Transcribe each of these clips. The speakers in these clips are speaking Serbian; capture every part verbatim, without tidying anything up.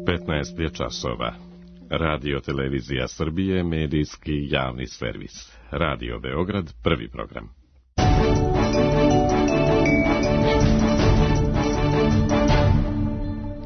petnaest je časova. Radio Televizija Srbije, medijski javni servis. Radio Beograd, prvi program.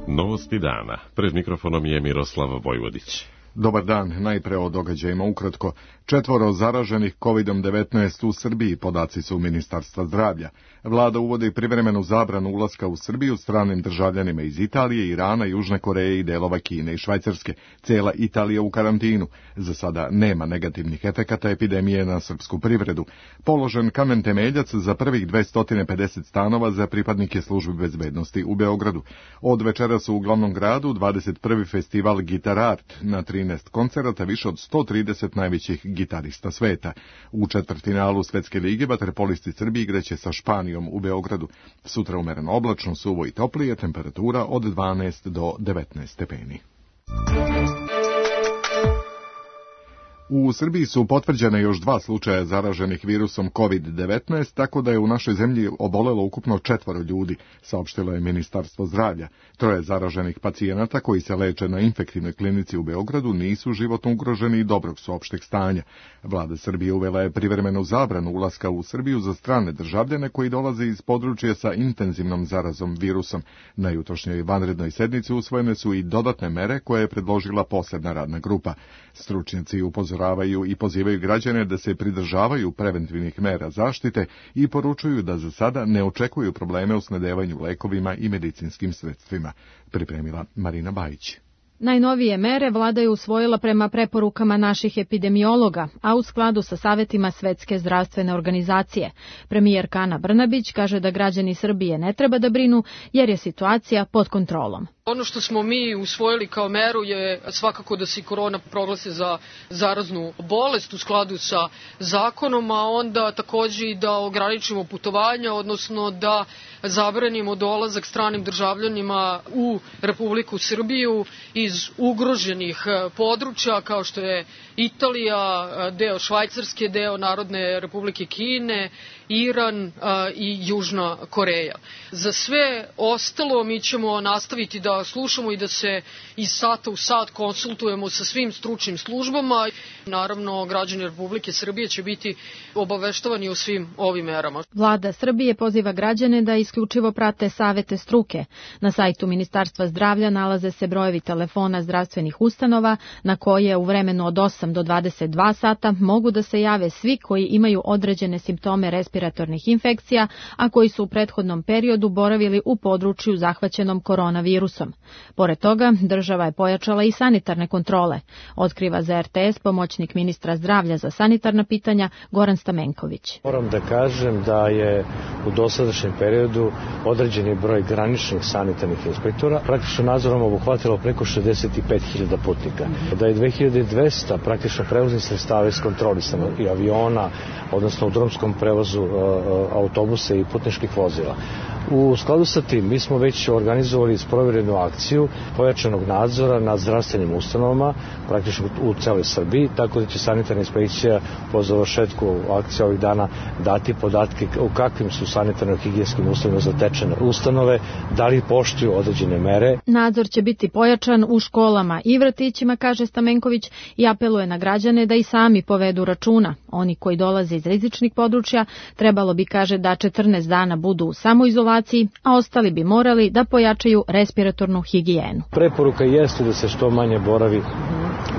Novosti dana. Pred mikrofonom je Miroslav Vojvodić. Dobar dan, najpre o događajima ukratko. Četvoro zaraženih kovid devetnaest u Srbiji, podaci su Ministarstva zdravlja. Vlada uvodi privremenu zabranu ulaska u Srbiju stranim državljanima iz Italije, Irana, Južne Koreje i delova Kine i Švajcarske. Cijela Italija u karantinu. Za sada nema negativnih efekata epidemije na srpsku privredu. Položen kamen temeljac za prvih dvesta pedeset stanova za pripadnike službe bezbednosti u Beogradu. Od večeras u glavnom gradu dvadeset prvi festival Gitar Art, na trinaest koncerata više od sto trideset najvećih gitarista sveta. U četvrtfinalu Svetske lige vaterpolisti Srbije igraće sa Španijom u Beogradu. Sutra umereno oblačno, suvo i toplije, temperatura od dvanaest do devetnaest stepeni. U Srbiji su potvrđene još dva slučaja zaraženih virusom kovid devetnaest, tako da je u našoj zemlji obolelo ukupno četvoro ljudi, saopštilo je Ministarstvo zdravlja. Troje zaraženih pacijenata koji se leče na infektivnoj klinici u Beogradu nisu životno ugroženi i dobrog su opšteg stanja. Vlada Srbije uvela je privremenu zabranu ulaska u Srbiju za strane državljane koji dolaze iz područja sa intenzivnom zarazom virusom. Na jutrošnjoj vanrednoj sednici usvojene su i dodatne mere koje je predložila posebna radna grupa. Stručnjaci upozoravaju i pozivaju građane da se pridržavaju preventivnih mera zaštite i poručuju da za sada ne očekuju probleme u snabdevanju lekovima i medicinskim sredstvima, pripremila Marina Bajić. Najnovije mere vlada je usvojila prema preporukama naših epidemiologa, a u skladu sa savetima Svetske zdravstvene organizacije. Premijerka Ana Brnabić kaže da građani Srbije ne treba da brinu jer je situacija pod kontrolom. Ono što smo mi usvojili kao meru je svakako da se korona proglasi za zaraznu bolest u skladu sa zakonom, a onda takođe i da ograničimo putovanja, odnosno da zabranimo dolazak stranim državljanima u Republiku Srbiju iz ugroženih područja kao što je Italija, deo Švajcarske, deo Narodne Republike Kine, Iran i Južna Koreja. Za sve ostalo mi ćemo nastaviti da slušamo i da se iz sata u sat konsultujemo sa svim stručnim službama. Naravno, građani Republike Srbije će biti obaveštavani o svim ovim merama. Vlada Srbije poziva građane da isključivo prate savete struke. Na sajtu Ministarstva zdravlja nalaze se brojevi telefona zdravstvenih ustanova na koje u vremenu od osam do dvadeset dva sata mogu da se jave svi koji imaju određene simptome respiratornih infekcija, a koji su u prethodnom periodu boravili u području zahvaćenom koronavirusom. Pored toga, država je pojačala i sanitarne kontrole, otkriva za er te es pomoćnik ministra zdravlja za sanitarna pitanja Goran Stamenković. Moram da kažem da je u dosadašnjem periodu određeni broj graničnih sanitarnih inspektora praktično nadzorom obuhvatilo preko šezdeset pet hiljada putnika. Da je dve hiljade dvesta praktično prevoznih sredstava iskontrolisano i aviona, odnosno u drumskom prevozu autobusa i putničkih vozila. U skladu sa tim, mi smo već organizovali sprovjerenu akciju pojačanog nadzora nad zdravstvenim ustanovama, praktično u celoj Srbiji, tako da će sanitarna inspekcija po završetku akcije ovih dana dati podatke u kakvim su sanitarno-higijenskim uslovima zatečene ustanove, da li poštuju određene mere. Nadzor će biti pojačan u školama i vrtićima, kaže Stamenković, i apeluje na građane da i sami povedu računa. Oni koji dolaze iz rizičnih područja trebalo bi, kaže, da četrnaest dana budu u samoizolaciji, a ostali bi morali da pojačaju respiratornu higijenu. Preporuka jeste da se što manje boravi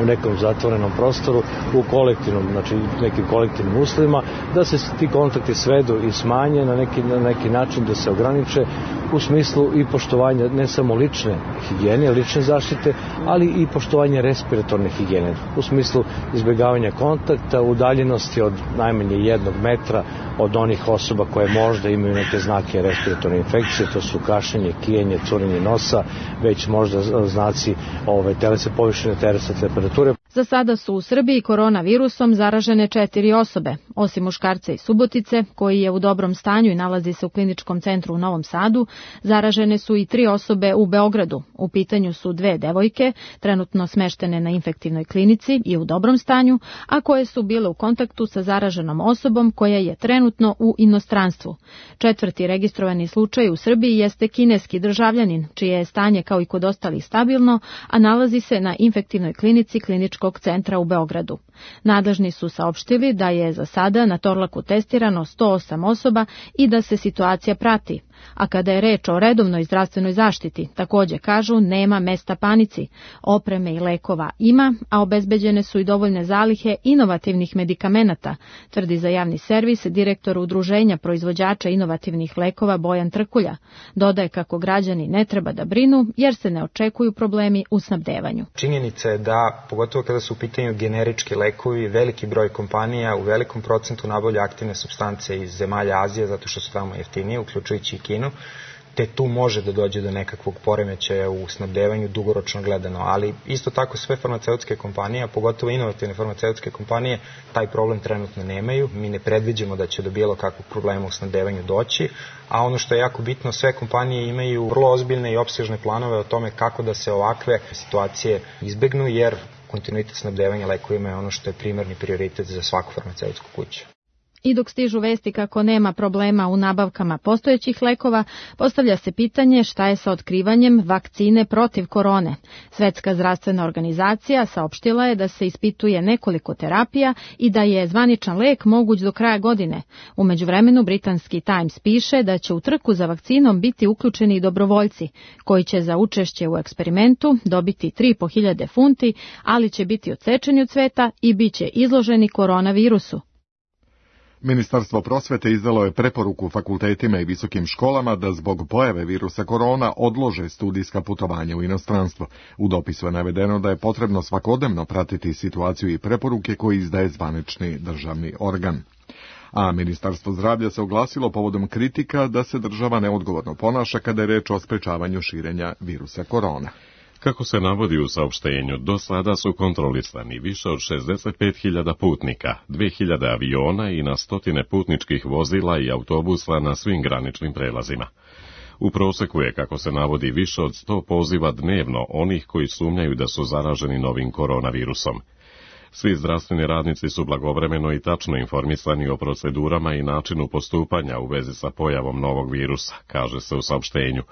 u nekom zatvorenom prostoru, u kolektivnom, znači nekim kolektivnim uslovima, da se ti kontakti svedu i smanje na neki, na neki način, da se ograniče u smislu i poštovanja ne samo lične higijene, lične zaštite, ali i poštovanje respiratorne higijene, u smislu izbjegavanja kontakta, udaljenosti od najmanje jednog metra od onih osoba koje možda imaju neke znake respiratorne infekcije, to su kašljenje, kijenje, curenje nosa, već možda znaci ove, telesa, povišene telesne temperature. Za sada su u Srbiji koronavirusom zaražene četiri osobe, osim muškarca iz Subotice, koji je u dobrom stanju i nalazi se u kliničkom centru u Novom Sadu, zaražene su i tri osobe u Beogradu. U pitanju su dve devojke, trenutno smeštene na infektivnoj klinici i u dobrom stanju, a koje su bile u kontaktu sa zaraženom osobom koja je trenutno u inostranstvu. Četvrti registrovani slučaj u Srbiji jeste kineski državljanin, čije je stanje kao i kod ostalih stabilno, a nalazi se na infektivnoj klinici Kliničkog centra u Beogradu. Nadležni su saopštili da je za sada na Torlaku testirano sto osam osoba i da se situacija prati. A kada je reč o redovnoj zdravstvenoj zaštiti, takođe kažu nema mesta panici. Opreme i lekova ima, a obezbeđene su i dovoljne zalihe inovativnih medikamenata, tvrdi za javni servis direktor Udruženja proizvođača inovativnih lekova Bojan Trkulja. Dodaje kako građani ne treba da brinu jer se ne očekuju problemi u snabdevanju. Činjenica je da, pogotovo kada su u pitanju generički lekovi, veliki broj kompanija u velikom procentu nabavlja aktivne supstance iz zemalja Azije zato što su tamo jeftinije, uključujući i Kinu, te tu može da dođe do nekakvog poremećaja u snabdevanju dugoročno gledano, ali isto tako sve farmaceutske kompanije, a pogotovo inovativne farmaceutske kompanije, taj problem trenutno nemaju. Mi ne predviđamo da će do bilo kakvog problema u snabdevanju doći, a ono što je jako bitno, sve kompanije imaju vrlo ozbiljne i opsežne planove o tome kako da se ovakve situacije izbegnu, jer kontinuitet snabdevanja lekovima je ono što je primarni prioritet za svaku farmaceutsku kuću. I dok stižu vesti kako nema problema u nabavkama postojećih lekova, postavlja se pitanje šta je sa otkrivanjem vakcine protiv korone. Svetska zdravstvena organizacija saopštila je da se ispituje nekoliko terapija i da je zvaničan lek moguć do kraja godine. U međuvremenu britanski Times piše da će u trku za vakcinom biti uključeni i dobrovoljci, koji će za učešće u eksperimentu dobiti tri i po hiljade funti, ali će biti odsečeni od sveta i bit će izloženi koronavirusu. Ministarstvo prosvete izdalo je preporuku fakultetima i visokim školama da zbog pojave virusa korona odlože studijska putovanja u inostranstvo. U dopisu je navedeno da je potrebno svakodnevno pratiti situaciju i preporuke koje izdaje zvanični državni organ. A Ministarstvo zdravlja se oglasilo povodom kritika da se država neodgovorno ponaša kada je reč o sprečavanju širenja virusa korona. Kako se navodi u saopštenju, do sada su kontrolisani više od šezdeset pet hiljada putnika, dve hiljade aviona i na stotine putničkih vozila i autobusa na svim graničnim prelazima. U proseku je, kako se navodi, više od sto poziva dnevno onih koji sumnjaju da su zaraženi novim koronavirusom. Svi zdravstveni radnici su blagovremeno i tačno informisani o procedurama i načinu postupanja u vezi sa pojavom novog virusa, kaže se u saopštenju,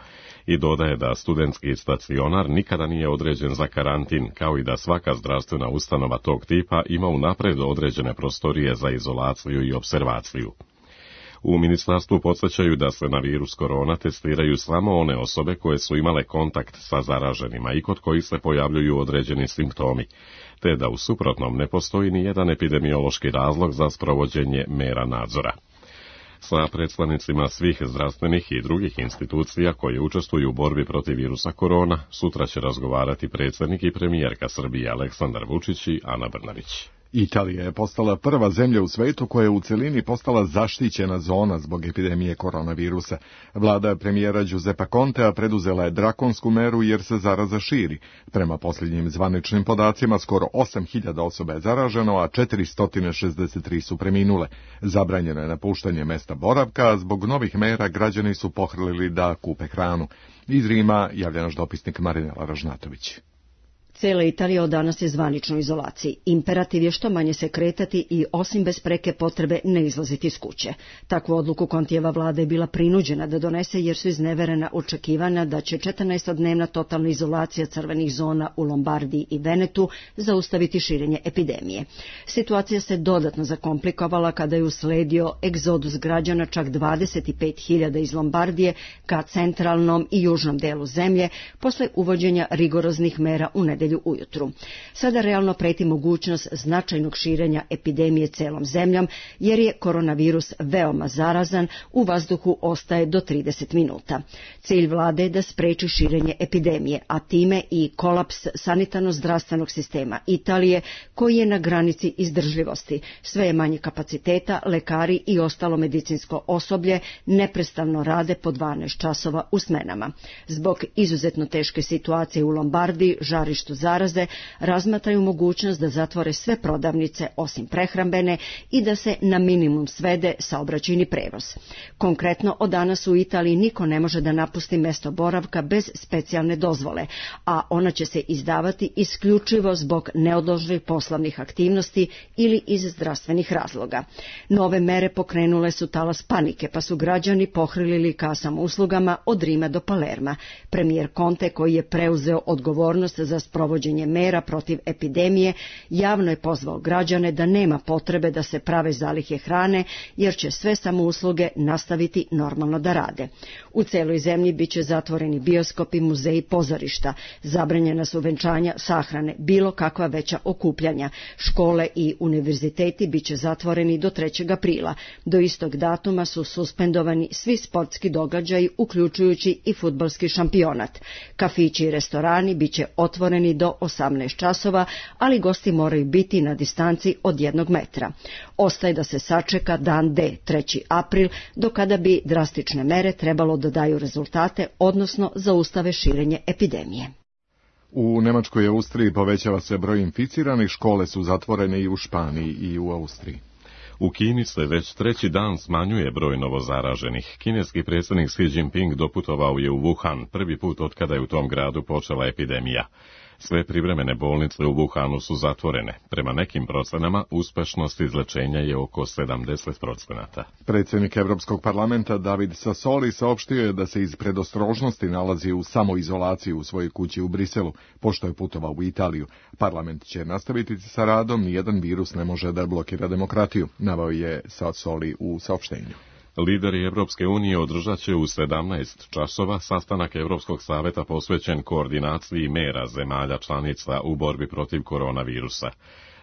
i dodaje da studentski stacionar nikada nije određen za karantin, kao i da svaka zdravstvena ustanova tog tipa ima unapred određene prostorije za izolaciju i observaciju. U ministarstvu podsjećaju da se na virus korona testiraju samo one osobe koje su imale kontakt sa zaraženima i kod kojih se pojavljuju određeni simptomi, te da u suprotnom ne postoji ni jedan epidemiološki razlog za sprovođenje mera nadzora. Sa predstavnicima svih zdravstvenih i drugih institucija koje učestvuju u borbi protiv virusa korona sutra će razgovarati predsjednik i premijerka Srbije Aleksandar Vučić i Ana Brnabić. Italija je postala prva zemlja u svetu koja je u celini postala zaštićena zona zbog epidemije koronavirusa. Vlada premijera Giuseppa Contea preduzela je drakonsku meru jer se zaraza širi. Prema posljednjim zvaničnim podacima, skoro osam hiljada osoba je zaraženo, a četiristo šezdeset tri su preminule. Zabranjeno je napuštanje mesta boravka, a zbog novih mera građani su pohrlili da kupe hranu. Iz Rima javlja naš dopisnik Marinela Ražnatović. Cela Italija od danas je zvanično u izolaciji. Imperativ je što manje se kretati i osim bez preke potrebe ne izlaziti iz kuće. Takvu odluku Contijeva vlada je bila prinuđena da donese jer su izneverena očekivanja da će četrnaestodnevna totalna izolacija crvenih zona u Lombardiji i Venetu zaustaviti širenje epidemije. Situacija se dodatno zakomplikovala kada je usledio egzodus građana čak dvadeset pet hiljada iz Lombardije ka centralnom i južnom delu zemlje posle uvođenja rigoroznih mera u nedelju ujutru. Sada realno preti mogućnost značajnog širenja epidemije celom zemljom, jer je koronavirus veoma zarazan, u vazduhu ostaje do trideset minuta. Cilj vlade je da spreči širenje epidemije, a time i kolaps sanitarno-zdravstvenog sistema Italije, koji je na granici izdržljivosti. Sve je manje kapaciteta, lekari i ostalo medicinsko osoblje neprestano rade po dvanaest časova u smenama. Zbog izuzetno teške situacije u Lombardiji, žarištu porastu zaraze, razmatraju mogućnost da zatvore sve prodavnice osim prehrambene i da se na minimum svede saobraćajni prevoz. Konkretno, od danas u Italiji niko ne može da napusti mesto boravka bez specijalne dozvole, a ona će se izdavati isključivo zbog neodloženih poslovnih aktivnosti ili iz zdravstvenih razloga. Nove mere pokrenule su talas panike, pa su građani pohrilili kasama uslugama od Rima do Palerma. Premijer Conte, koji je preuzeo odgovornost za sprovođenje mera protiv epidemije, javno je pozvao građane da nema potrebe da se prave zalihe hrane, jer će sve samousluge nastaviti normalno da rade. U celoj zemlji biće zatvoreni bioskopi, muzeji, pozorišta, zabranjena su venčanja, sahrane, bilo kakva veća okupljanja. Škole i univerziteti biće zatvoreni do trećeg aprila. Do istog datuma su suspendovani svi sportski događaji, uključujući i fudbalski šampionat. Kafići i restorani biće otvoreni do osamnaest časova, ali gosti moraju biti na distanci od jednog metra. Ostaje da se sačeka dan D, treći april, do kada bi drastične mere trebalo da daju rezultate, odnosno zaustave širenje epidemije. U Nemačkoj i Austriji povećava se broj inficiranih, škole su zatvorene i u Španiji i u Austriji. U Kini se već treći dan smanjuje broj novozaraženih. Kineski predsjednik Xi Jinping doputovao je u Wuhan, prvi put od kada je u tom gradu počela epidemija. Sve privremene bolnice u Wuhanu su zatvorene. Prema nekim procenama, uspešnost izlečenja je oko sedamdeset procenata. Predsjednik Evropskog parlamenta David Sassoli saopštio je da se iz predostrožnosti nalazi u samoizolaciji u svojoj kući u Briselu, pošto je putovao u Italiju. Parlament će nastaviti sa radom, nijedan virus ne može da blokira demokratiju, naveo je Sassoli u saopštenju. Lideri Evropske unije održat će u sedamnaest časova sastanak Evropskog saveta posvećen koordinaciji mera zemalja članica u borbi protiv koronavirusa.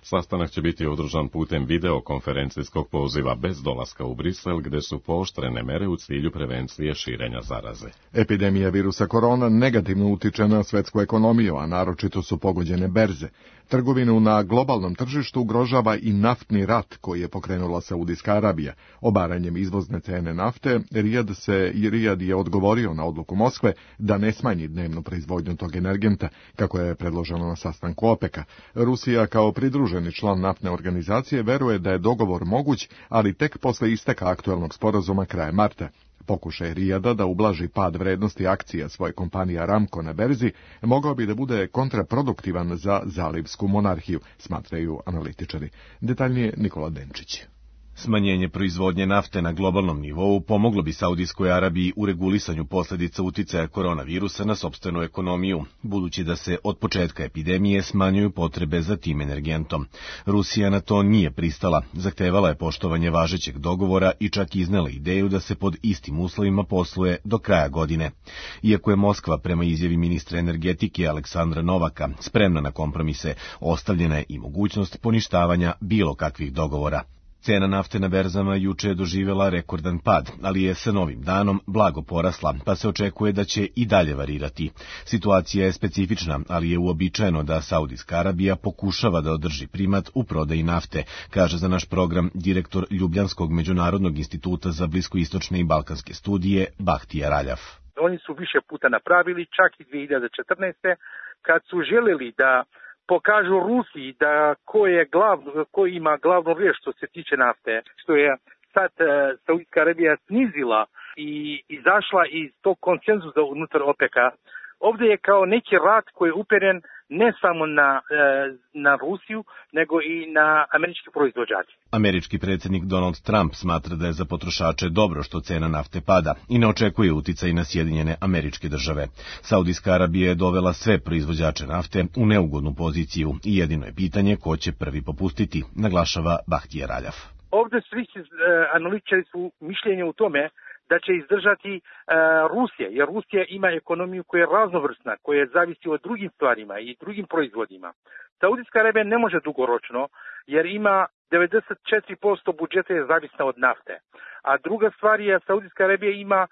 Sastanak će biti održan putem videokonferencijskog poziva bez dolaska u Brisel, gde su pooštrene mere u cilju prevencije širenja zaraze. Epidemija virusa korona negativno utiče na svetsku ekonomiju, a naročito su pogođene berze. Trgovinu na globalnom tržištu ugrožava i naftni rat koji je pokrenula Saudijska Arabija. Obaranjem izvozne cene nafte, Rijad, se, Rijad je odgovorio na odluku Moskve da ne smanji dnevnu proizvodnju tog energenta, kako je predloženo na sastanku OPEC-a. Rusija kao pridruženi član naftne organizacije veruje da je dogovor moguć, ali tek posle isteka aktuelnog sporazuma krajem marta. Pokušaj Rijada da ublaži pad vrednosti akcija svoje kompanije Aramco na berzi mogao bi da bude kontraproduktivan za zalivsku monarhiju, smatraju analitičari. Detaljnije Nikola Denčić. Smanjenje proizvodnje nafte na globalnom nivou pomoglo bi Saudijskoj Arabiji u regulisanju posljedica uticaja koronavirusa na sopstvenu ekonomiju, budući da se od početka epidemije smanjuju potrebe za tim energentom. Rusija na to nije pristala, zahtevala je poštovanje važećeg dogovora i čak iznela ideju da se pod istim uslovima posluje do kraja godine. Iako je Moskva prema izjavi ministra energetike Aleksandra Novaka spremna na kompromise, ostavljena je i mogućnost poništavanja bilo kakvih dogovora. Cena nafte na berzama juče je doživjela rekordan pad, ali je sa novim danom blago porasla, pa se očekuje da će i dalje varirati. Situacija je specifična, ali je uobičajeno da Saudijska Arabija pokušava da održi primat u prodaji nafte, kaže za naš program direktor Ljubljanskog međunarodnog instituta za bliskoistočne i balkanske studije Bahtija Raljav. Oni su više puta napravili, čak i dvije hiljade četrnaeste. kad su željeli da pokažu Rusiji da ko je glavno, ko ima glavnu riječ što se tiče nafte, što je sad uh, Saudijska Arabija snizila i izašla iz tog konsenzusa unutar OPEC-a. Ovdje je kao neki rat koji je uperen ne samo na, na Rusiju, nego i na američki proizvođače. Američki predsjednik Donald Trump smatra da je za potrošače dobro što cena nafte pada i ne očekuje uticaj na Sjedinjene Američke Države. Saudijska Arabija je dovela sve proizvođače nafte u neugodnu poziciju i jedino je pitanje ko će prvi popustiti, naglašava Bahtija Raljav. Ovdje svi analitičari su mišljenja u tome da će izdržati uh, Rusija, jer Rusija ima ekonomiju koja je raznovrsna, koja zavisi od drugim stvarima i drugim proizvodima. Saudijska Arabija ne može dugoročno, jer ima devedeset četiri posto budžeta je zavisna od nafte. A druga stvar je, Saudijska Arabija ima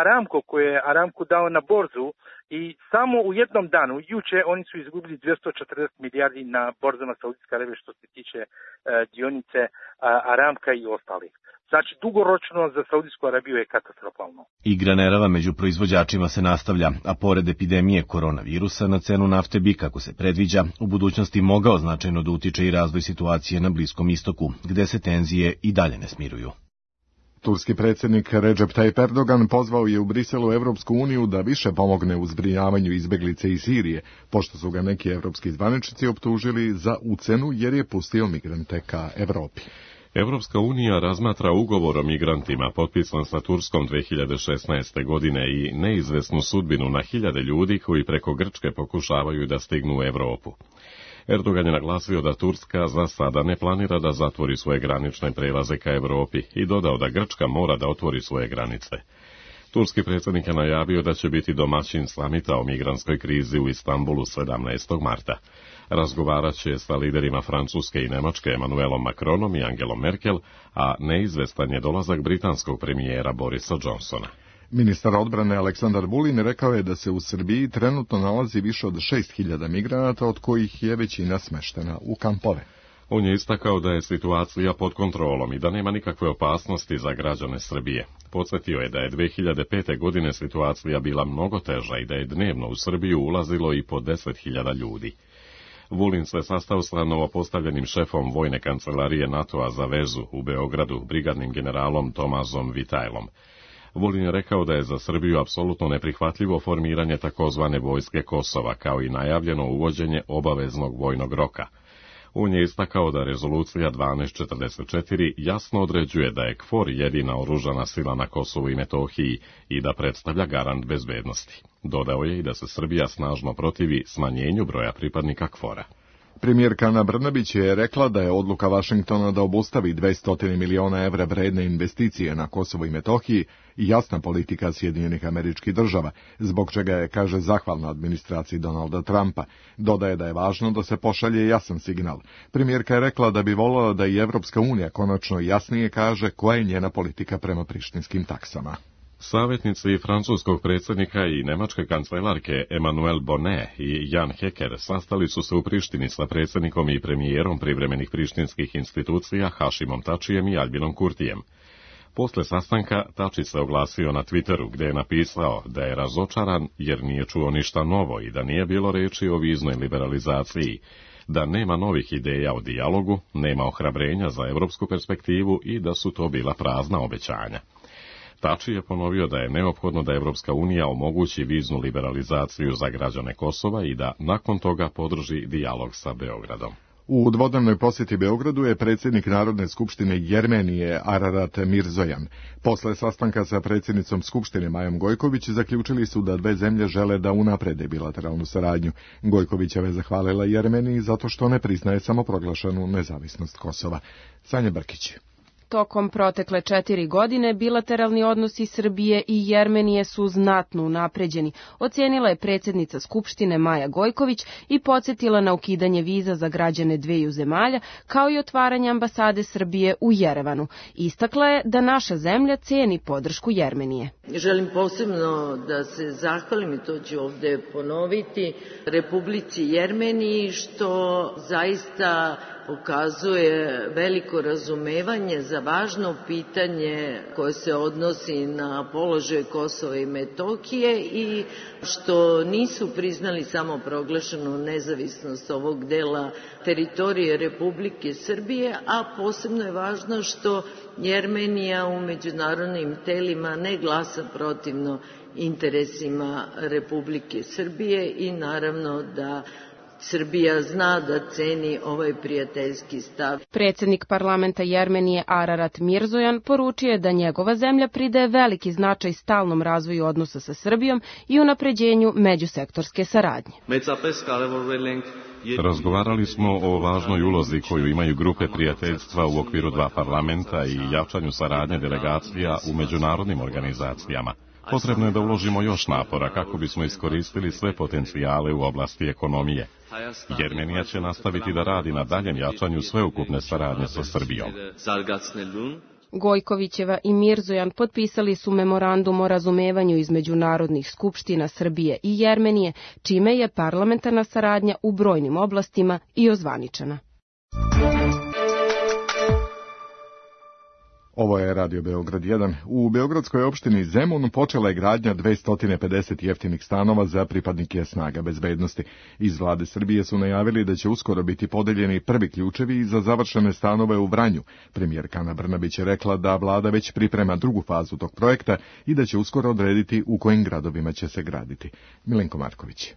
Aramco, koje je Aramco dao na borzu i samo u jednom danu, juče, oni su izgubili dvjesto četrdeset milijardi na borzama Saudijske Arabije što se tiče uh, dionice uh, Aramka i ostalih. Znači, dugoročno za Saudijsku Arabiju je katastrofalno. Igra nerava među proizvođačima se nastavlja, a pored epidemije koronavirusa na cenu nafte bi, kako se predviđa, u budućnosti mogao značajno da utiče i razvoj situacije na Bliskom istoku, gde se tenzije i dalje ne smiruju. Turski predsjednik Recep Tayyip Erdogan pozvao je u Briselu Evropsku uniju da više pomogne u zbrinjavanju izbeglice iz Sirije, pošto su ga neki evropski zvaničnici optužili za ucenu jer je pustio migrante ka Evropi. Evropska unija razmatra ugovor o migrantima potpisan sa Turskom dve hiljade šesnaeste. godine i neizvesnu sudbinu na hiljade ljudi koji preko Grčke pokušavaju da stignu u Evropu. Erdogan je naglasio da Turska za sada ne planira da zatvori svoje granične prelaze ka Evropi i dodao da Grčka mora da otvori svoje granice. Turski predsjednik je najavio da će biti domaćin samita o migrantskoj krizi u Istanbulu sedamnaestog marta. Razgovarat će sa liderima Francuske i Nemačke Emmanuelom Macronom i Angelom Merkel, a neizvestan je dolazak britanskog premijera Borisa Johnsona. Ministar odbrane Aleksandar Vulin rekao je da se u Srbiji trenutno nalazi više od šest hiljada migranata, od kojih je većina smeštena u kampove. On je istakao da je situacija pod kontrolom i da nema nikakve opasnosti za građane Srbije. Podsjetio je da je dve hiljade pete. godine situacija bila mnogo teža i da je dnevno u Srbiju ulazilo i po deset hiljada ljudi. Vulin se sastao sa novopostavljenim šefom vojne kancelarije NATO-a za vezu u Beogradu, brigadnim generalom Tomazom Vitajlom. Vulin je rekao da je za Srbiju apsolutno neprihvatljivo formiranje takozvane vojske Kosova, kao i najavljeno uvođenje obaveznog vojnog roka. On je istakao da rezolucija dvanaest četrdeset četiri jasno određuje da je KFOR jedina oružana sila na Kosovu i Metohiji i da predstavlja garant bezbednosti. Dodao je i da se Srbija snažno protivi smanjenju broja pripadnika KFOR-a. Premijerka Ana Brnabić je rekla da je odluka Vašingtona da obustavi dvesta miliona evra vredne investicije na Kosovo i Metohiji i jasna politika Sjedinjenih Američkih Država, zbog čega je, kaže, zahvalna administraciji Donalda Trumpa. Dodaje da je važno da se pošalje jasan signal. Premijerka je rekla da bi voljela da i Evropska unija konačno jasnije kaže koja je njena politika prema prištinskim taksama. Savjetnici francuskog predsjednika i nemačke kancelarke Emmanuel Bonnet i Jan Hecker sastali su se u Prištini sa predsjednikom i premijerom privremenih prištinskih institucija Hašimom Tačijem i Albinom Kurtijem. Posle sastanka Tači se oglasio na Twitteru gdje je napisao da je razočaran jer nije čuo ništa novo i da nije bilo reči o viznoj liberalizaciji, da nema novih ideja o dijalogu, nema ohrabrenja za evropsku perspektivu i da su to bila prazna obećanja. Tači je ponovio da je neophodno da Evropska unija omogući viznu liberalizaciju za građane Kosova i da nakon toga podrži dijalog sa Beogradom. U dvodnevnoj posjeti Beogradu je predsjednik Narodne skupštine Jermenije Ararat Mirzojan. Posle sastanka sa predsjednicom Skupštine Majom Gojković zaključili su da dve zemlje žele da unaprede bilateralnu saradnju. Gojkovićeva je zahvalila Jermeniji zato što ne priznaje samoproglašenu nezavisnost Kosova. Sanja Brkić. Tokom protekle četiri godine bilateralni odnosi Srbije i Jermenije su znatno unapređeni, ocijenila je predsjednica Skupštine Maja Gojković i podsjetila na ukidanje viza za građane dveju zemalja, kao i otvaranje ambasade Srbije u Jerevanu. Istakla je da naša zemlja ceni podršku Jermenije. Želim posebno da se zahvalim, i to ću ovde ponoviti, Republici Jermeniji što zaista pokazuje veliko razumevanje za važno pitanje koje se odnosi na položaj Kosova i Metohije i što nisu priznali samo proglašenu nezavisnost ovog dela teritorije Republike Srbije, a posebno je važno što Jermenija u međunarodnim telima ne glasa protivno interesima Republike Srbije i naravno da Srbija zna da ceni ovaj prijateljski stav. Predsjednik parlamenta Jermenije Ararat Mirzojan poručio je da njegova zemlja pridaje veliki značaj stalnom razvoju odnosa sa Srbijom i unapređenju međusektorske saradnje. Razgovarali smo o važnoj ulozi koju imaju grupe prijateljstva u okviru dva parlamenta i jačanju saradnje delegacija u međunarodnim organizacijama. Potrebno je da uložimo još napora kako bismo iskoristili sve potencijale u oblasti ekonomije. Jermenija će nastaviti da radi na daljem jačanju sveukupne saradnje sa Srbijom. Gojkovićeva i Mirzojan potpisali su memorandum o razumevanju između narodnih skupština Srbije i Jermenije, čime je parlamentarna saradnja u brojnim oblastima i ozvaničena. Ovo je Radio Beograd jedan. U beogradskoj opštini Zemun počela je gradnja dvesta pedeset jeftinih stanova za pripadnike snaga bezbednosti. Iz vlade Srbije su najavili da će uskoro biti podeljeni prvi ključevi za završene stanove u Vranju. Premijerka Ana Brnabić je rekla da vlada već priprema drugu fazu tog projekta i da će uskoro odrediti u kojim gradovima će se graditi. Milenko Marković.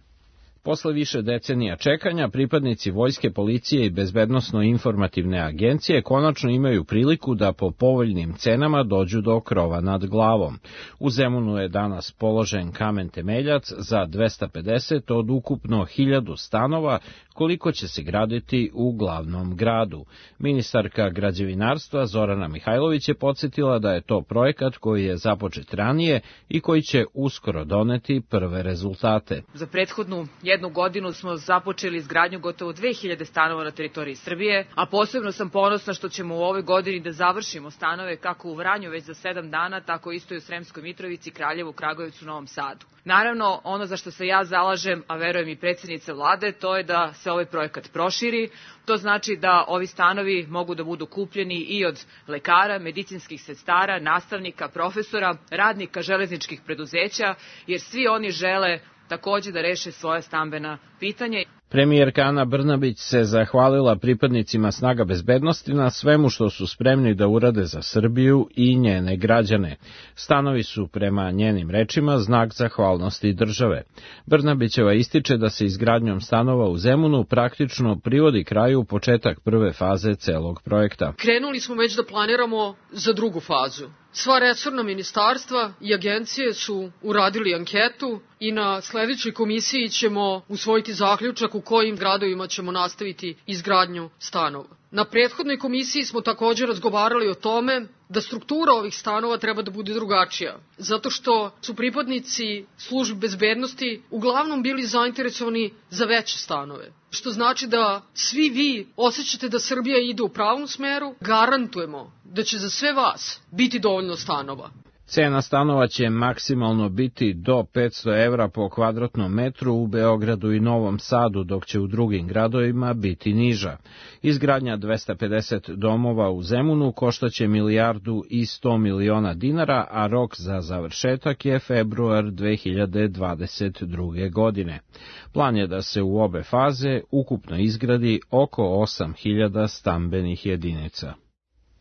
Posle više decenija čekanja, pripadnici Vojske, policije i bezbednosno-informativne agencije konačno imaju priliku da po povoljnim cenama dođu do krova nad glavom. U Zemunu je danas položen kamen temeljac za dvesta pedeset od ukupno hiljadu stanova, koliko će se graditi u glavnom gradu. Ministarka građevinarstva Zorana Mihajlović je podsjetila da je to projekat koji je započet ranije i koji će uskoro doneti prve rezultate. Za prethodnu jednu godinu smo započeli izgradnju gotovo dve hiljade stanova na teritoriji Srbije, a posebno sam ponosna što ćemo u ovoj godini da završimo stanove kako u Vranju već za sedam dana, tako isto i u Sremskoj Mitrovici, Kraljevu, Kragujevcu, Novom Sadu. Naravno, ono za što se ja zalažem, a verujem i predsjednica vlade, to je da se ovaj projekat proširi. To znači da ovi stanovi mogu da budu kupljeni i od lekara, medicinskih sestara, nastavnika, profesora, radnika železničkih preduzeća, jer svi oni žele takođe da reše svoje stambena pitanja. Premijerka Ana Brnabić se zahvalila pripadnicima snaga bezbednosti na svemu što su spremni da urade za Srbiju i njene građane. Stanovi su, prema njenim rečima, znak zahvalnosti države. Brnabićeva ističe da se izgradnjom stanova u Zemunu praktično privodi kraju početak prve faze celog projekta. Krenuli smo već da planiramo za drugu fazu. Sva resorna ministarstva i agencije su uradili anketu i na sledećoj komisiji ćemo usvojiti zaključak u kojim gradovima ćemo nastaviti izgradnju stanova. Na prethodnoj komisiji smo također razgovarali o tome da struktura ovih stanova treba da bude drugačija, zato što su pripadnici službi bezbednosti uglavnom bili zainteresovani za veće stanove, što znači da svi vi osjećate da Srbija ide u pravom smeru. Garantujemo da će za sve vas biti dovoljno stanova. Cena stanova će maksimalno biti do petsto evra po kvadratnom metru u Beogradu i Novom Sadu, dok će u drugim gradovima biti niža. Izgradnja dvesta pedeset domova u Zemunu koštaće milijardu i sto miliona dinara, a rok za završetak je februar dve hiljade dvadeset druge. godine. Plan je da se u obe faze ukupno izgradi oko osam hiljada stambenih jedinica.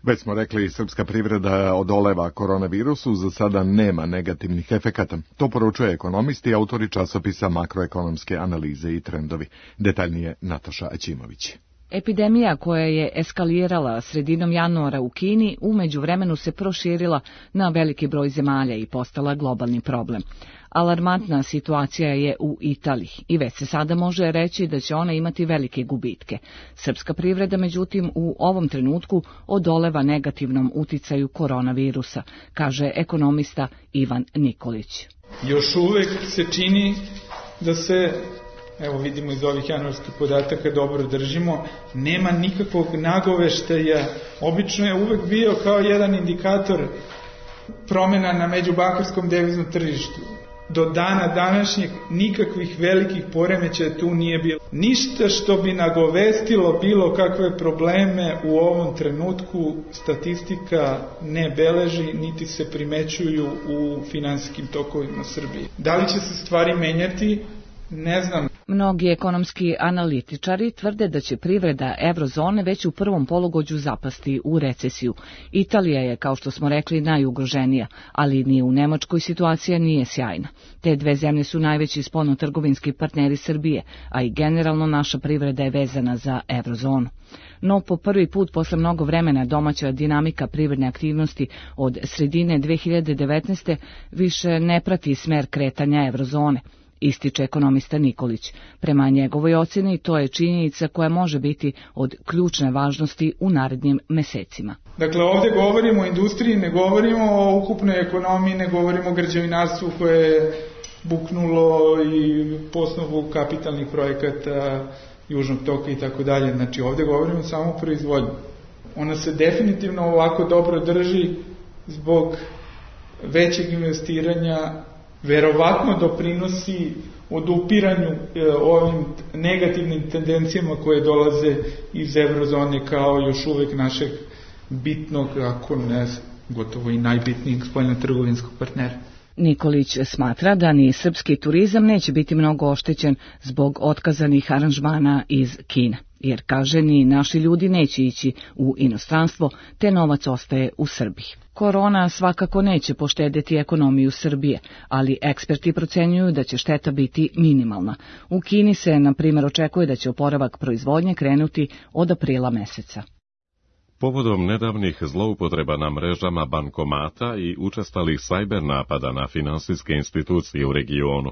Već smo rekli, srpska privreda odoleva koronavirusu, za sada nema negativnih efekata. To poručuje ekonomist i autori časopisa Makroekonomske analize i trendovi. Detaljnije Nataša Aćimović. Epidemija koja je eskalirala sredinom januara u Kini u međuvremenu se proširila na veliki broj zemalja i postala globalni problem. Alarmantna situacija je u Italiji i već se sada može reći da će ona imati velike gubitke. Srpska privreda, međutim, u ovom trenutku odoleva negativnom uticaju koronavirusa, kaže ekonomista Ivan Nikolić. Još uvek se čini da se, evo vidimo iz ovih januarskih podataka, dobro držimo, nema nikakvog nagoveštaja. Obično je uvek bio kao jedan indikator promjena na međubankarskom deviznom tržištu. Do dana današnjeg nikakvih velikih poremećaja tu nije bilo. Ništa što bi nagovestilo bilo kakve probleme u ovom trenutku statistika ne beleži, niti se primećuju u finansijskim tokovima Srbije. Da li će se stvari menjati? Ne znam. Mnogi ekonomski analitičari tvrde da će privreda evrozone već u prvom polugođu zapasti u recesiju. Italija je, kao što smo rekli, najugroženija, ali ni u Nemačkoj situacija nije sjajna. Te dve zemlje su najveći spoljnotrgovinski partneri Srbije, a i generalno naša privreda je vezana za evrozonu. No, po prvi put posle mnogo vremena domaća dinamika privredne aktivnosti od sredine dve hiljade devetnaeste. više ne prati smer kretanja evrozone, ističe ekonomista Nikolić. Prema njegovoj ocjeni to je činjenica koja može biti od ključne važnosti u narednim mesecima. Dakle, ovdje govorimo o industriji, ne govorimo o ukupnoj ekonomiji, ne govorimo o građevinarstvu koje je buknulo i po osnovu kapitalnih projekata Južnog toka i tako dalje. Znači, ovdje govorimo samo o proizvodnji. Ona se definitivno ovako dobro drži zbog većeg investiranja, verovatno doprinosi odupiranju e, ovim negativnim tendencijama koje dolaze iz evrozone kao još uvek našeg bitnog, ako ne gotovo i najbitnijeg spoljno-trgovinskog partnera. Nikolić smatra da ni srpski turizam neće biti mnogo oštećen zbog otkazanih aranžmana iz Kine, jer kaže ni naši ljudi neće ići u inostranstvo, te novac ostaje u Srbiji. Korona svakako neće poštedjeti ekonomiju Srbije, ali eksperti procenjuju da će šteta biti minimalna. U Kini se, na primjer, očekuje da će oporavak proizvodnje krenuti od aprila meseca. Povodom nedavnih zloupotreba na mrežama bankomata i učestalih sajber napada na finansijske institucije u regionu,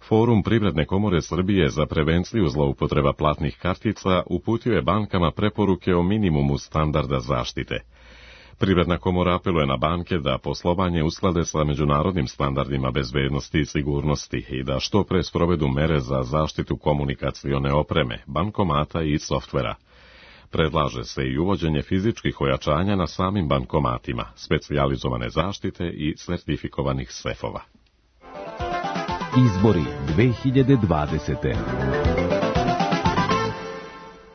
Forum Privredne komore Srbije za prevenciju zloupotreba platnih kartica uputio je bankama preporuke o minimumu standarda zaštite. Privredna komora apeluje na banke da poslovanje usklade sa međunarodnim standardima bezbednosti i sigurnosti i da što pre sprovedu mere za zaštitu komunikacione opreme, bankomata i softvera. Predlaže se i uvođenje fizičkih ojačanja na samim bankomatima, specijalizovane zaštite i sertifikovanih sefova. Izbori dve hiljade dvadesete.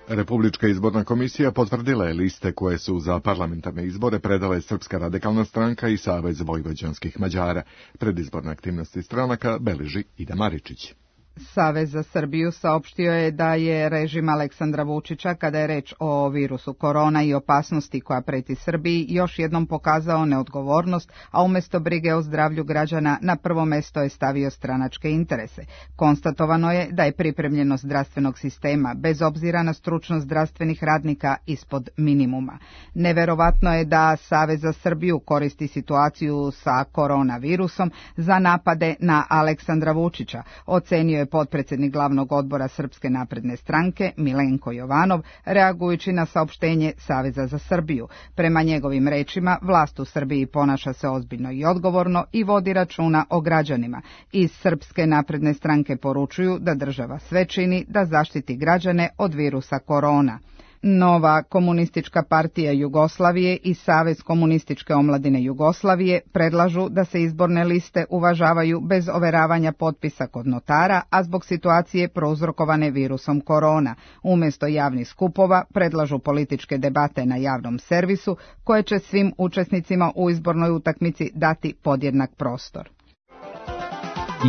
Republička izborna komisija potvrdila je liste koje su za parlamentarne izbore predale Srpska radikalna stranka i Savez vojvođanskih Mađara. Predizborne aktivnosti stranaka beleži Ida Maričić. Savez za Srbiju saopštio je da je režim Aleksandra Vučića, kada je reč o virusu korona i opasnosti koja preti Srbiji, još jednom pokazao neodgovornost, a umjesto brige o zdravlju građana na prvo mesto je stavio stranačke interese. Konstatovano je da je pripremljenost zdravstvenog sistema, bez obzira na stručnost zdravstvenih radnika, ispod minimuma. Neverovatno je da Savez za Srbiju koristi situaciju sa koronavirusom za napade na Aleksandra Vučića, ocenio je potpredsjednik glavnog odbora Srpske napredne stranke Milenko Jovanov, reagujući na saopštenje Saveza za Srbiju. Prema njegovim rečima, vlast u Srbiji ponaša se ozbiljno i odgovorno i vodi računa o građanima. Iz Srpske napredne stranke poručuju da država sve čini da zaštiti građane od virusa korona. Nova komunistička partija Jugoslavije i Savez komunističke omladine Jugoslavije predlažu da se izborne liste uvažavaju bez overavanja potpisa kod notara, a zbog situacije prouzrokovane virusom korona. Umjesto javnih skupova predlažu političke debate na javnom servisu koje će svim učesnicima u izbornoj utakmici dati podjednak prostor.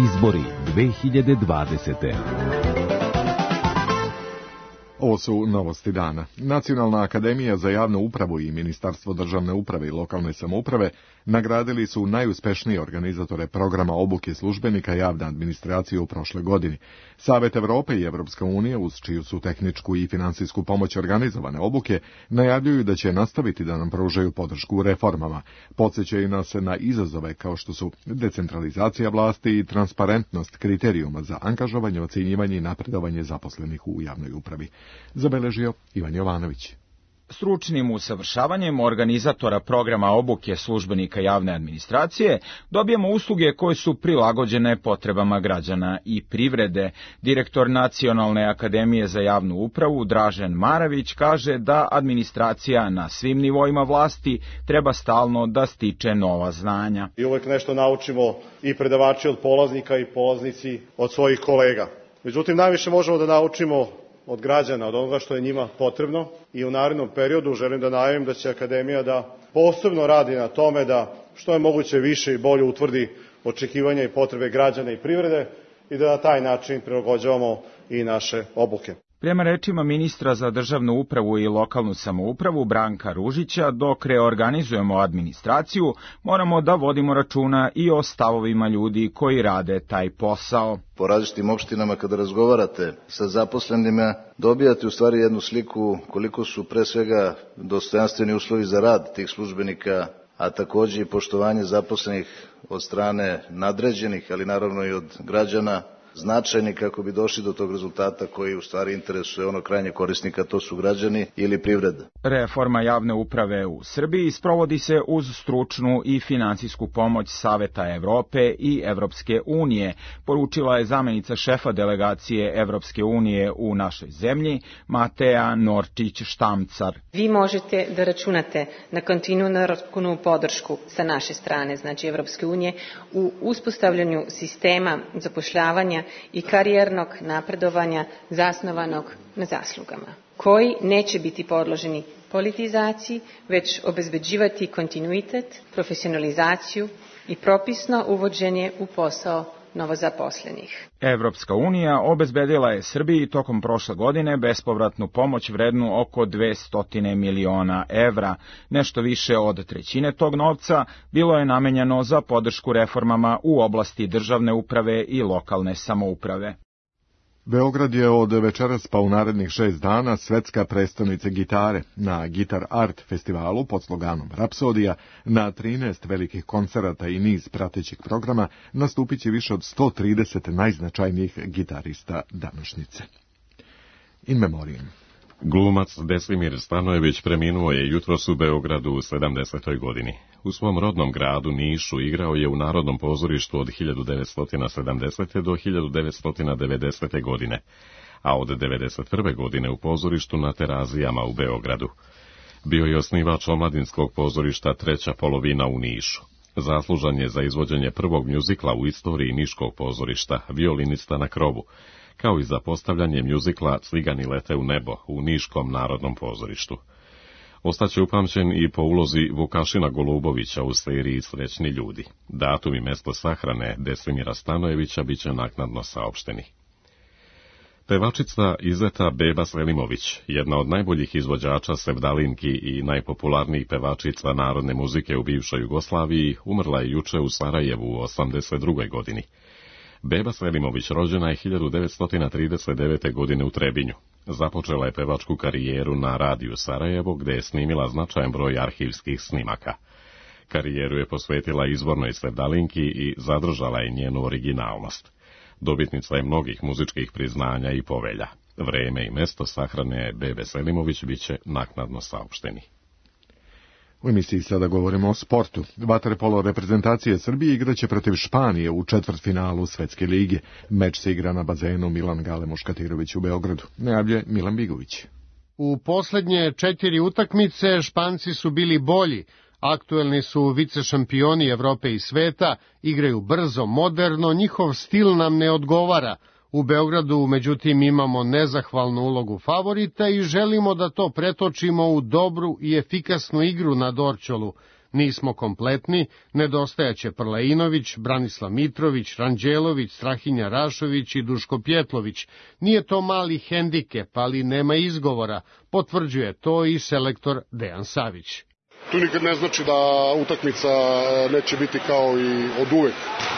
Izbori dve hiljade dvadesete. Ovo su novosti dana. Nacionalna akademija za javnu upravu i Ministarstvo državne uprave i lokalne samouprave nagradili su najuspešnije organizatore programa obuke službenika javne administracije u prošloj godini. Savet Evrope i Evropska unija, uz čiju su tehničku i finansijsku pomoć organizovane obuke, najavljuju da će nastaviti da nam pružaju podršku u reformama. Podsjećaju nas na izazove kao što su decentralizacija vlasti i transparentnost kriterijuma za angažovanje, ocjenjivanje i napredovanje zaposlenih u javnoj upravi. Zabeležio Ivan Jovanović. Stručnim usavršavanjem organizatora programa obuke službenika javne administracije dobijemo usluge koje su prilagođene potrebama građana i privrede. Direktor Nacionalne akademije za javnu upravu Dražen Maravić kaže da administracija na svim nivoima vlasti treba stalno da stiče nova znanja. I uvek nešto naučimo i predavači od polaznika i polaznici od svojih kolega. Međutim, najviše možemo da naučimo od građana, od onoga što je njima potrebno i u narednom periodu želim da najavim da će Akademija da posebno radi na tome da što je moguće više i bolje utvrdi očekivanja i potrebe građana i privrede i da na taj način prilagođavamo i naše obuke. Prema rečima ministra za državnu upravu i lokalnu samoupravu Branka Ružića, dok reorganizujemo administraciju, moramo da vodimo računa i o stavovima ljudi koji rade taj posao. Po različitim opštinama kada razgovarate sa zaposlenima, dobijate u stvari jednu sliku koliko su pre svega dostojanstveni uslovi za rad tih službenika, a takođe i poštovanje zaposlenih od strane nadređenih, ali naravno i od građana, značajni kako bi došli do tog rezultata koji u stvari interesuje ono krajnje korisnika, to su građani ili privreda. Reforma javne uprave u Srbiji sprovodi se uz stručnu i finansijsku pomoć Saveta Evrope i Evropske unije, poručila je zamenica šefa delegacije Evropske unije u našoj zemlji, Mateja Norčić-Štamcar. Vi možete da računate na kontinuiranu podršku sa naše strane, znači Evropske unije, u uspostavljanju sistema zapošljavanja i karijernog napredovanja zasnovanog na zaslugama, koji neće biti podloženi politizaciji, već obezbeđivati kontinuitet, profesionalizaciju i propisno uvođenje u posao novozaposlenih. Evropska unija obezbedila je Srbiji tokom prošle godine bespovratnu pomoć vrednu oko dvesta miliona evra. Nešto više od trećine tog novca bilo je namenjeno za podršku reformama u oblasti državne uprave i lokalne samouprave. Beograd je od večeras pa u narednih šest dana svetska prestonica gitare. Na Gitar Art festivalu pod sloganom Rapsodija na trinaest velikih koncerata i niz pratećih programa nastupit će više od sto trideset najznačajnijih gitarista današnjice. In memoriam. Glumac Deslimir Stanojević preminuo je jutros u Beogradu u sedamdesetoj godini. U svom rodnom gradu Nišu igrao je u Narodnom pozorištu od hiljadu devetsto sedamdesete. do hiljadu devetsto devedesete. godine, a od devedeset prve. godine u pozorištu na Terazijama u Beogradu. Bio je osnivač omladinskog pozorišta Treća polovina u Nišu. Zaslužan je za izvođenje prvog mjuzikla u istoriji niškog pozorišta, Violinista na krovu, kao i za postavljanje mjuzikla Cigani lete u nebo u Niškom narodnom pozorištu. Ostaće upamćen i po ulozi Vukašina Golubovića u seriji Srećni ljudi. Datum i mesto sahrane Deslimira Stanojevića biće naknadno saopšteni. Pevačica Izeta Beba Selimović, jedna od najboljih izvođača sevdalinki i najpopularnijih pevačica narodne muzike u bivšoj Jugoslaviji, umrla je juče u Sarajevu u osamdeset drugoj. godini. Beba Selimović rođena je hiljadu devetsto trideset devete. godine u Trebinju. Započela je pevačku karijeru na radiju Sarajevo, gde je snimila značajan broj arhivskih snimaka. Karijeru je posvetila izvornoj sevdalinki i zadržala je njenu originalnost. Dobitnica je mnogih muzičkih priznanja i povelja. Vreme i mesto sahrane Bebe Selimović biće naknadno saopšteni. U emisiji sada govorimo o sportu. Vaterpolo reprezentacije Srbije igraće protiv Španije u četvrtfinalu Svetske lige. Meč se igra na bazenu Milan Gale Muškatirović u Beogradu. Najavlje Milan Bigović. U poslednje četiri utakmice Španci su bili bolji. Aktuelni su vicešampioni Evrope i sveta, igraju brzo, moderno, njihov stil nam ne odgovara. U Beogradu, međutim, imamo nezahvalnu ulogu favorita i želimo da to pretočimo u dobru i efikasnu igru na Dorćolu. Nismo kompletni, nedostajaće Prlainović, Branislav Mitrović, Ranđelović, Strahinja Rašović i Duško Pjetlović. Nije to mali hendikep, ali nema izgovora, potvrđuje to i selektor Dejan Savić. Tu nikad ne znači da utakmica neće biti kao i od uvek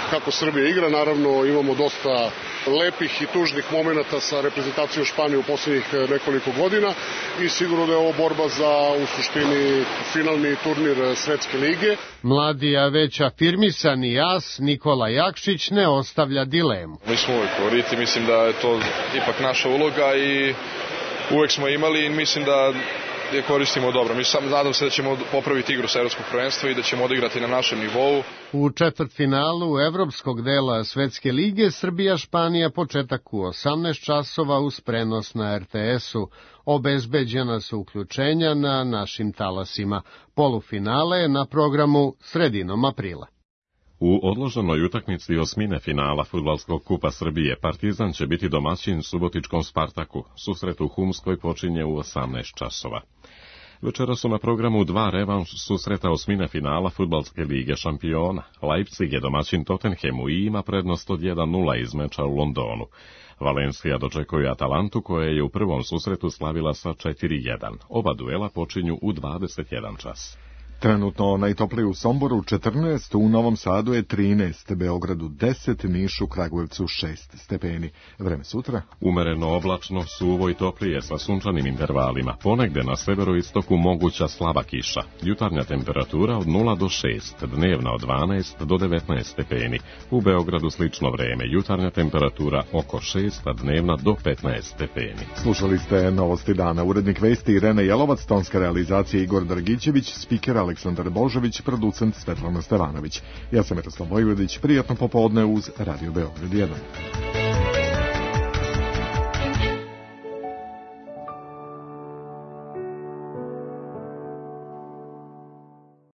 kako Srbija igra. Naravno imamo dosta lepih i tužnih momenata sa reprezentacijom Španije u posljednjih nekoliko godina i sigurno da je ovo borba za u suštini finalni turnir Svetske lige. Mladi, a već afirmisani as Nikola Jakšić ne ostavlja dilemu. Mi smo uvijek favoriti, mislim da je to ipak naša uloga i uvek smo imali i mislim da je koristimo dobro. Mi sam nadam se da ćemo popraviti igru sa evropskog prvenstva i da ćemo odigrati na našem nivou. U četvrtfinalu evropskog dela Svetske lige Srbija-Španija početak u osamnaest časova uz prenos na er te esu. Obezbeđena su uključenja na našim talasima. Polufinale je na programu sredinom aprila. U odloženoj utakmici osmine finala Fudbalskog kupa Srbije Partizan će biti domaćin subotičkom Spartaku. Susret u Humskoj počinje u osamnaest časova. Večera su na programu dva revanš susreta osmine finala Fudbalske lige šampiona. Leipzig je domaćin Tottenhamu i ima prednost od jedan nula iz meča u Londonu. Valencia dočekuje Atalantu koja je u prvom susretu slavila sa četiri jedan. Oba duela počinju u dvadeset jedan čas. Trenutno najtoplije u Somboru četrnaest, u Novom Sadu je trinaest, Beogradu deset, Nišu, Kragujevcu šest stepeni. Vreme sutra? Umereno oblačno, suvo i toplije sa sunčanim intervalima. Ponegde na severoistoku moguća slaba kiša. Jutarnja temperatura od nula do šest, dnevna od dvanaest do devetnaest stepeni. U Beogradu slično vreme, jutarnja temperatura oko šest, a dnevna do petnaest stepeni. Slušali ste Novosti dana. Urednik vesti Irena Jelovac, tonska realizacija Igor Drgićević, spiker Aleksandar Božović, producent Svetlana Stevanović. Ja sam Miroslav Vojvodić, prijatno popodne uz Radio Beograd jedan.